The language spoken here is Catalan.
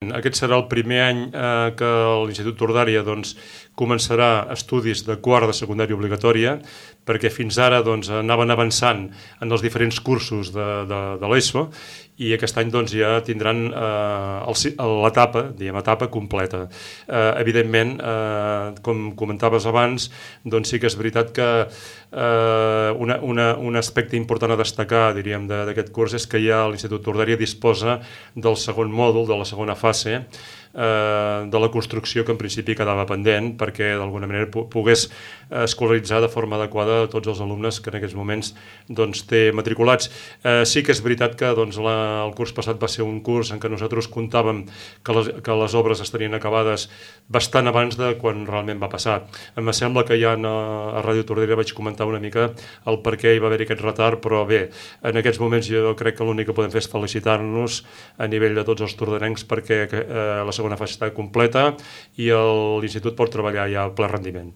Aquest serà el primer any que l'Institut Tordària començarà estudis de quart de secundària obligatòria, perquè fins ara anaven avançant en els diferents cursos de l'ESO i aquest any ja tindran l'etapa completa. Evidentment, com comentaves abans, sí que és veritat que un aspecte important a destacar, diríem, d'aquest curs és que ja l'Institut Tordària disposa del segon mòdul, de la segona fase, de la construcció que en principi quedava pendent perquè d'alguna manera pogués escolaritzar de forma adequada tots els alumnes que en aquests moments té matriculats. Sí que és veritat que el curs passat va ser un curs en què nosaltres comptàvem que les obres estarien acabades bastant abans de quan realment va passar. Em sembla que ja a Ràdio Tordera vaig comentar una mica el per què hi va haver aquest retard, però bé, en aquests moments jo crec que l'únic que podem fer és felicitar-nos a nivell de tots els tordarencs perquè la segona fase està completa i l'Institut pot treballar ja a ple rendiment.